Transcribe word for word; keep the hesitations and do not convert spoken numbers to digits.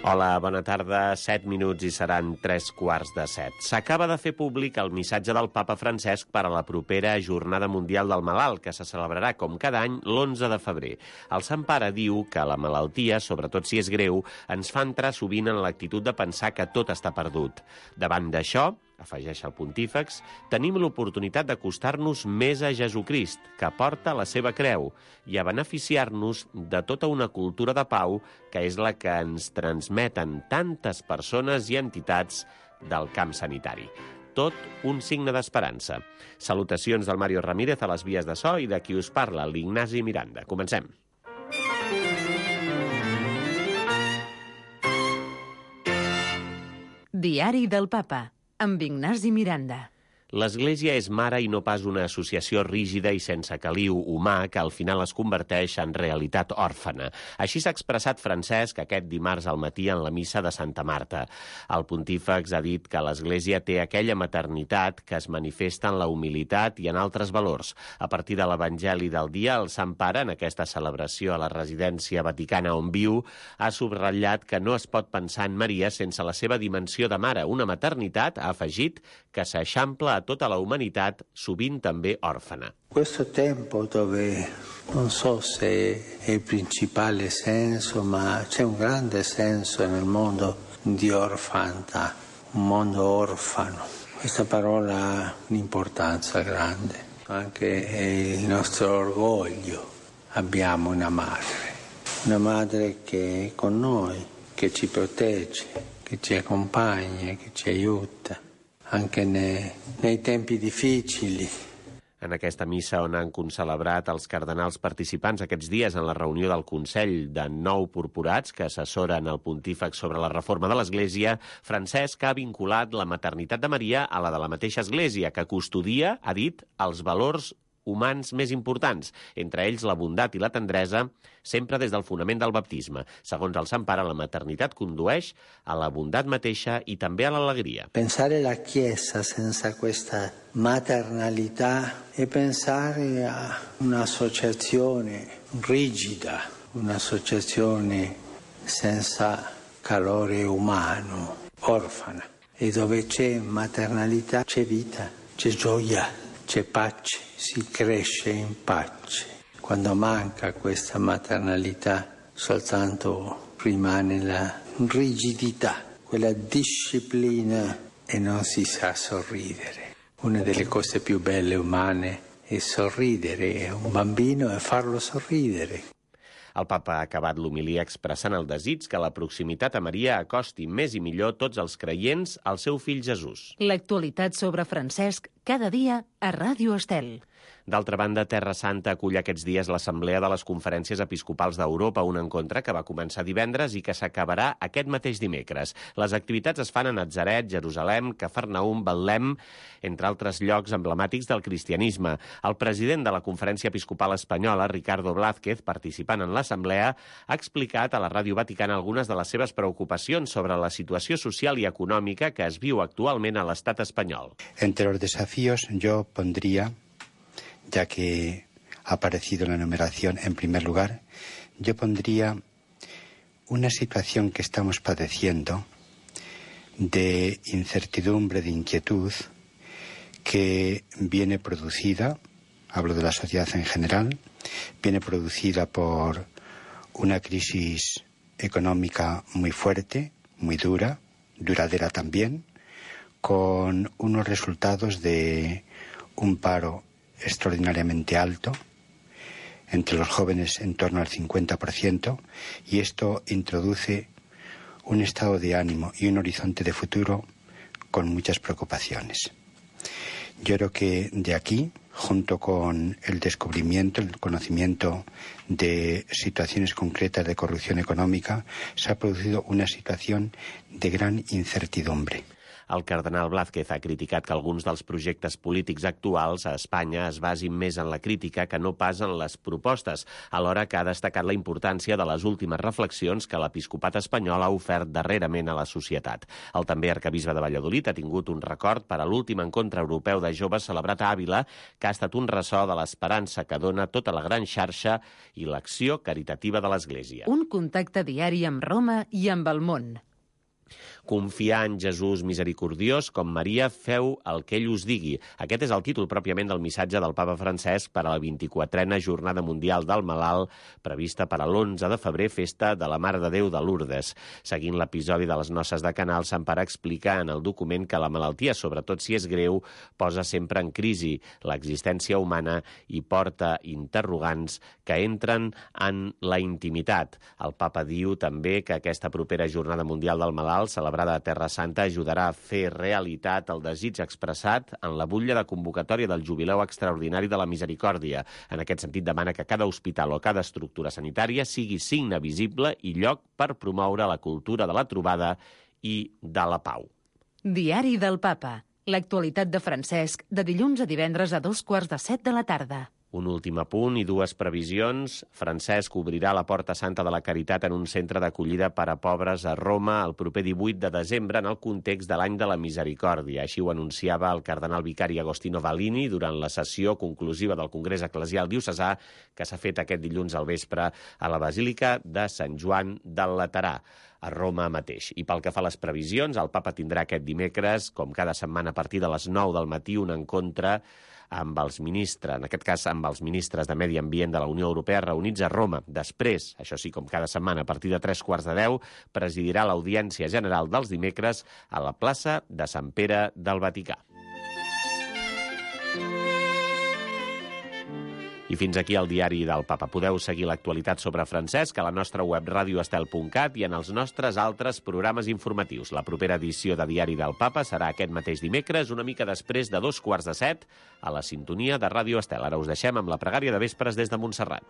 Hola, bona tarda. Set minuts i seran tres quarts de set. S'acaba de fer públic el missatge del papa Francesc per a la propera Jornada Mundial del Malalt, que se celebrarà, com cada any, l'onze de febrer. El Sant Pare diu que la malaltia, sobretot si és greu, ens fa entrar sovint en l'actitud de pensar que tot està perdut. Davant d'això, afegeix el pontífex, tenim l'oportunitat d'acostar-nos més a Jesucrist, que porta la seva creu, i a beneficiar-nos de tota una cultura de pau que és la que ens transmeten tantes persones i entitats del camp sanitari. Tot un signe d'esperança. Salutacions del Mario Ramírez a les vies de so i de qui us parla, l'Ignasi Miranda. Comencem. Diari del Papa, amb Ignasi Miranda. L'Església és mare i no pas una associació rígida i sense caliu humà que al final es converteix en realitat òrfana. Així s'ha expressat Francesc aquest dimarts al matí en la missa de Santa Marta. El pontífex ha dit que l'Església té aquella maternitat que es manifesta en la humilitat i en altres valors. A partir de l'Evangeli del dia, el Sant Pare, en aquesta celebració a la residència vaticana on viu, ha subratllat que no es pot pensar en Maria sense la seva dimensió de mare, una maternitat, ha afegit, que s'eixampla a tota la humanitat, sovint també òrfana. Questo tempo dove non so se è il principale senso, ma c'è un grande senso nel mondo di orfandad, un mondo orfano. Questa parola ha un'importanza grande, anche il nostro orgoglio. Abbiamo una madre, una madre che è con noi, che ci protegge, che ci accompagna, che ci aiuta. Anche nei, nei tempi difficili. En aquesta missa on han concelebrat els cardenals participants aquests dies en la reunió del Consell de nou purpurats que assessoren el pontífex sobre la reforma de l'Església, Francesc ha vinculat la maternitat de Maria a la de la mateixa Església, que custodia, ha dit, els valors humans més importants, entre ells la bondat i la tendresa, sempre des del fonament del baptisme. Segons el Sant Pare, la maternitat condueix a la bondat mateixa i també a l'alegria. Pensare la Chiesa senza questa maternalità è pensare a un'associazione rigida, un'associazione senza calore umano, orfana. E dove c'è maternalità c'è vita, c'è gioia. C'è pace, si cresce in pace. Quando manca questa maternalità, soltanto rimane la rigidità, quella disciplina e non si sa sorridere. Una delle cose più belle umane è sorridere a un bambino e farlo sorridere. El papa ha acabat l'homilia expressant el desig que la proximitat a Maria acosti més i millor tots els creients al seu fill Jesús. L'actualitat sobre Francesc cada dia a Ràdio Estel. D'altra banda, Terra Santa acull aquests dies l'Assemblea de les Conferències Episcopals d'Europa, un encontre que va començar divendres i que s'acabarà aquest mateix dimecres. Les activitats es fan a Natzaret, Jerusalem, Cafarnaum, Betlem, entre altres llocs emblemàtics del cristianisme. El president de la Conferència Episcopal Espanyola, Ricardo Blázquez, participant en l'Assemblea, ha explicat a la Ràdio Vaticana algunes de les seves preocupacions sobre la situació social i econòmica que es viu actualment a l'estat espanyol. Entre los desafíos yo pondría, ya que ha aparecido en la enumeración en primer lugar, yo pondría una situación que estamos padeciendo de incertidumbre, de inquietud, que viene producida, hablo de la sociedad en general, viene producida por una crisis económica muy fuerte, muy dura, duradera también, con unos resultados de un paro extraordinariamente alto, entre los jóvenes en torno al cincuenta por ciento, y esto introduce un estado de ánimo y un horizonte de futuro con muchas preocupaciones. Yo creo que de aquí, junto con el descubrimiento, el conocimiento de situaciones concretas de corrupción económica, se ha producido una situación de gran incertidumbre. El cardenal Blázquez ha criticat que alguns dels projectes polítics actuals a Espanya es basin més en la crítica que no pas en les propostes, alhora que ha destacat la importància de les últimes reflexions que l'episcopat espanyol ha ofert darrerament a la societat. El també arquebisbe de Valladolid ha tingut un record per a l'últim encontre europeu de joves celebrat a Àvila, que ha estat un ressò de l'esperança que dona tota la gran xarxa i l'acció caritativa de l'Església. Un contacte diari amb Roma i amb el món. Confiar en Jesús misericordiós, com Maria, feu el que ell us digui. Aquest és el títol pròpiament del missatge del papa Francesc per a la vint-i-quatrena Jornada Mundial del Malalt, prevista per a l'onze de febrer, festa de la Mare de Déu de Lourdes. Seguint l'episodi de les noces de Canal, Sant Pare explica en el document que la malaltia, sobretot si és greu, posa sempre en crisi l'existència humana i porta interrogants que entren en la intimitat. El papa diu també que aquesta propera Jornada Mundial del Malalt, celebrada a Terra Santa, ajudarà a fer realitat el desig expressat en la butlla de convocatòria del Jubileu Extraordinari de la Misericòrdia. En aquest sentit, demana que cada hospital o cada estructura sanitària sigui signe visible i lloc per promoure la cultura de la trobada i de la pau. Diari del Papa. L'actualitat de Francesc, de dilluns a divendres a dos quarts de set de la tarda. Un últim apunt i dues previsions. Francesc obrirà la Porta Santa de la Caritat en un centre d'acollida per a pobres a Roma el proper divuit de desembre en el context de l'any de la Misericòrdia. Així ho anunciava el cardenal vicari Agostino Valini durant la sessió conclusiva del Congrés Eclesial Diocesà que s'ha fet aquest dilluns al vespre a la Basílica de Sant Joan del Laterà, a Roma mateix. I pel que fa a les previsions, el papa tindrà aquest dimecres, com cada setmana a partir de les nou del matí, un encontre amb els ministres, en aquest cas amb els ministres de Medi Ambient de la Unió Europea reunits a Roma. Després, això sí, com cada setmana, a partir de tres quarts de deu, presidirà l'Audiència General dels dimecres a la plaça de Sant Pere del Vaticà. I fins aquí el diari del Papa. Podeu seguir l'actualitat sobre Francesc a la nostra web radio estel punt cat i en els nostres altres programes informatius. La propera edició de Diari del Papa serà aquest mateix dimecres, una mica després de dos quarts de set, a la sintonia de Ràdio Estel. Ara us deixem amb la pregària de vespres des de Montserrat.